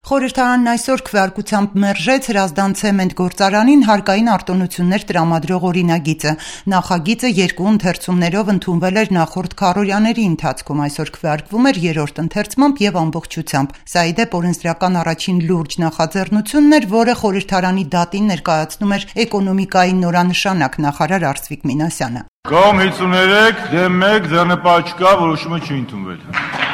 Խորհրդարանն այսօր քվեարկությամբ մերժեց Հրազդան ցեմենտ գործարանին հարկային արտոնություններ տրամադրող օրինագիծը։ Նախագիծը երկու ընթերցումներով ընդունվել էր նախորդ քառօրյաների ընթացքում, այսօր քվեարկվում էր երրորդ ընթերցմամբ եւ ամբողջությամբ։ Սա ի դեպ օրենսդրական առաջին լուրջ նախաձեռնությունն էր, որը խորհրդարանի դատին ներկայացնում էր էկոնոմիկայի նորանշանակ նախարար Արծվիկ Մինասյանը։ Կողմ 53 դեմ 1 ձեռնպահ չկա, որոշումը չի ընդունվել։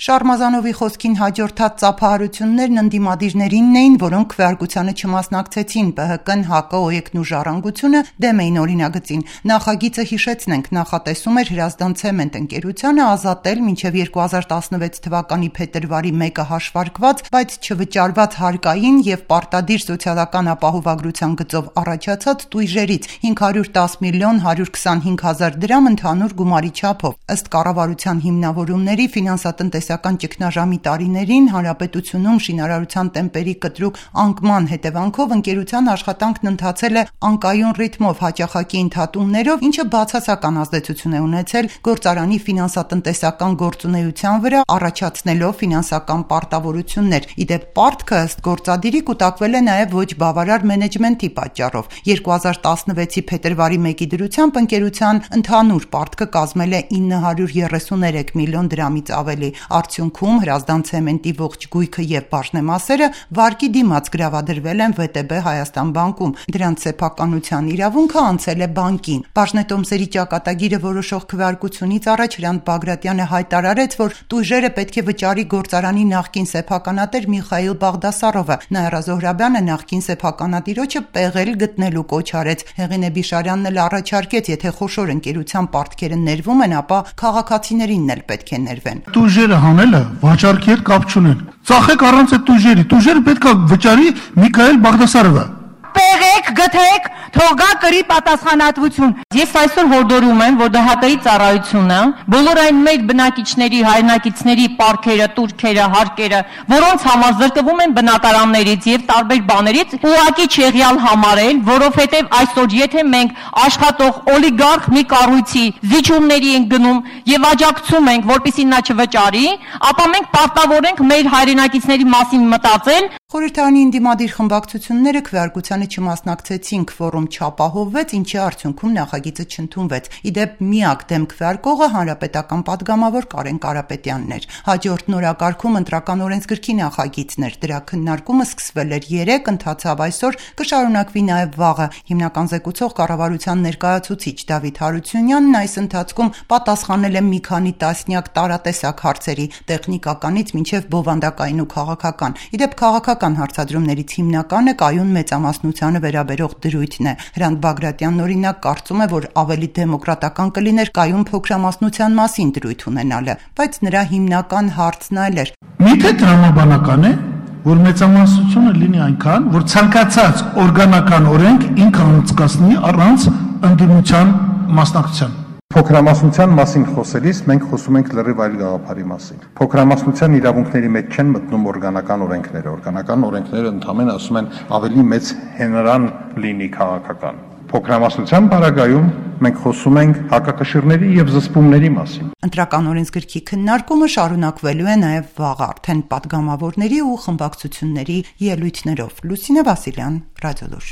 Շարմազանովի խոսքին հաջորդած ծափահարություններն ընդդիմադիրներինն էին, որոնք քվեարկությանը չմասնակցեցին, ԲՀԿ-ն, ՀԱԿ-ը, ՕԵԿ-ն ու Ժառանգությունը դեմ էին օրինագծին։ Նախագիծը, հիշեցնենք, նախատեսում էր Հրազդան ցեմենտ ընկերությանը ազատել մինչև 2016 թվականի փետրվարի 1-ը հաշվարկված, բայց չվճարված հարկային եւ պարտադիր սոցիալական ապահովագրության գծով առաջացած տույժերից 510 միլիոն 125 հազար դրամ ընդհանուր գումարի չափով։ Ըստ կառավարության հիմնավորումների ֆինանսատնտեսական ճգնաժամի տարիներին հանրապետությունում շինարարության տեմպերի կտրուկ անկման հետևանքով ընկերության աշխատանքն ընթացել է անկայուն ռիթմով հաճախակի ընդհատումներով, ինչը բացասական ազդեցություն է ունեցել գործարանի ֆինանսատնտեսական գործունեության վրա, առաջացնելով ֆինանսական պարտավորություններ։ Ի դեպ պարտքը ըստ գործադիրի կուտակվել է նաև ոչ բավարար մենեջմենթի պատճառով։ 2016-ի փետրվարի 1-ի դրությամբ ընկերության ընդհանուր պարտքը կազմել է 933 միլիոն դրամից ավելի։ Արդյունքում Հրազդան ցեմենտի ողջ գույքը եւ բաժնեմասերը վարկի դիմաց գրավադրվել են ՎՏԲ Հայաստան բանկում։ Դրանց սեփականության իրավունքը անցել է բանկին։ Բաժնետոմսերի ճակատագիրը որոշող քվեարկությունից առաջ Հրանտ Բագրատյանը հայտարարեց, որ տույժերը պետք է վճարի գործարանի նախկին սեփականատեր Միխայիլ Բաղդասարովը։ Նաիրա Զոհրաբյանը նախկին սեփականատիրոջը պեղել գտնելու կոչ արեց։ Հեղինե Բիշարյանն էլ առաջարկեց, եթե խոշոր ընկերության պարտքերը ներվում են, ապա քաղաքացիներինն էլ պետք է ներվեն։ Տույժերը հանելը վաճառքի հետ կապ չունեն։ Ծախեք առանց այդ տույժերի։ Տույժերը պետք է վճարի Միքայել Բաղդասարովը։ Պեղեք, գթեք, թող գա կրի պատասխանատվություն։ Ես այսօր հորդորում եմ, որ ԴՀԿ-ի ծառայությունը բոլոր այն մեր բնակիչների, հայրենակիցների պարտքերը, տուրքերը, հարկերը, որոնց համար զրկվում են բնակարաններից եւ տարբեր բաներից, ուղղակի չեղյալ համարել, որովհետեւ այսօր եթե մենք աշխատող օլիգարխ մի կառույցի զիջումների ենք գնում եւ աջակցում ենք, որպեսզի նա չվճարի, ապա մենք պարտավոր ենք մեր հայրենակիցների մասին մտածել։ Խորհրդարանի ընդդիմադիր խմբակցությունները քվեարկությանը չմասնակցեցին, քվորում չապահովվեց, ինչի արդյունքում նախագիծը չընդունվեց։ Ի դեպ միակ դեմ քվեարկողը հանրապետական падգամավոր Կարեն Կարապետյանն էր։ Հաջորդ նորակարգում ընտրական օրենսգրքի նախագիծն էր։ Դրա քննարկումը սկսվել էր 3, ընթացավ այսօր, կշարունակվի նաև վաղը։ Հիմնական զեկուցող կառավարության ներկայացուցիչ Դավիթ Հարությունյանն այս ընթացքում պատասխանել է մի քանի տասնյակ տարատեսակ հարցերի՝ տեխնիկականից մինչև բովանդակային ու քաղաքական։ Ի դեպ քաղաքական հարցադրումներից հիմնականը կայուն մեծամասնությանը վերաբերող դրույթն է։ Հրանտ Բագրատյանն օրինակ կարծում է, որ ավելի դեմոկրատական կլիներ կայուն փոքրամասնության մասին դրույթ ունենալը, բայց նրա հիմնական հարցն այլ էր։ Միթե տրամաբանական է, որ մեծամասնությունը լինի այնքան, որ ցանկացած օրգանական օրենք ինքը անցկացնի առանց ընդդիմության մասնակցության։ Փոքրամասնության մասին խոսելիս մենք խոսում ենք լրիվ այլ գաղափարի մասին։ Փոքրամասնության իրավունքների մեջ չեն մտնում օրգանական օրենքները։ Օրգանական օրենքները ընդհանրապես ասում են ավելի մեծ հենարան լինի քաղաքական։ Փոքրամասնության բaragայում մենք խոսում ենք հակակշիռների եւ զսպումների մասին։ Ընտրական օրենսգրքի քննարկումը շարունակվելու է նաև վաղ արդեն падգամավորների ու խմբակցությունների ելույթներով։ Լուսինե Վասիլյան, Ռադիոլուր։